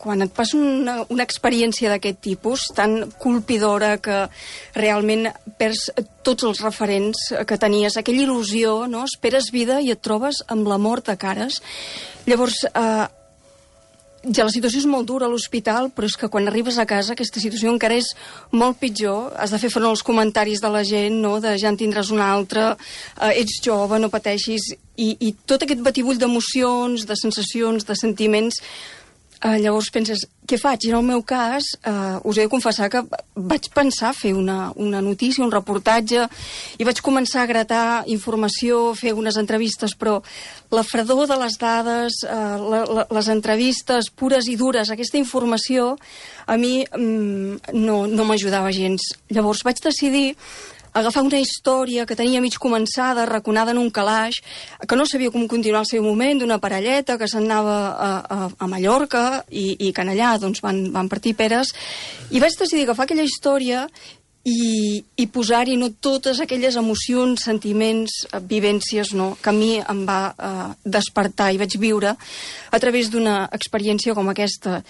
quan et passa una experiència d'aquest tipus, tan colpidora, que realment perds tots els referents que tenies, aquella il·lusió, no? Esperes vida i et trobes amb la mort a cares. Llavors, ja la situació és molt dura a l'hospital, però és que quan arribes a casa aquesta situació encara és molt pitjor. Has de fer front als comentaris de la gent, no? De ja en tindràs una altra, ets jove, no pateixis, i tot aquest batibull d'emocions, de sensacions, de sentiments. Llavors penses, què faig? I en el meu cas, us he de confessar que vaig pensar fer una notícia, un reportatge, i vaig començar a gratar informació, fer unes entrevistes, però la fredor de les dades, les entrevistes pures i dures, aquesta informació, a mi no m'ajudava gens. Llavors vaig decidir agafar una història que tenia mig començada, raconada en un calaix, que no sabia com continuar el seu moment, d'una parelleta que se'n anava a Mallorca i que en allà doncs, van partir peres, i vaig decidir agafar aquella història i posar-hi no totes aquelles emocions, sentiments, vivències, no, que a mi em va despertar i vaig viure a través d'una experiència com aquesta.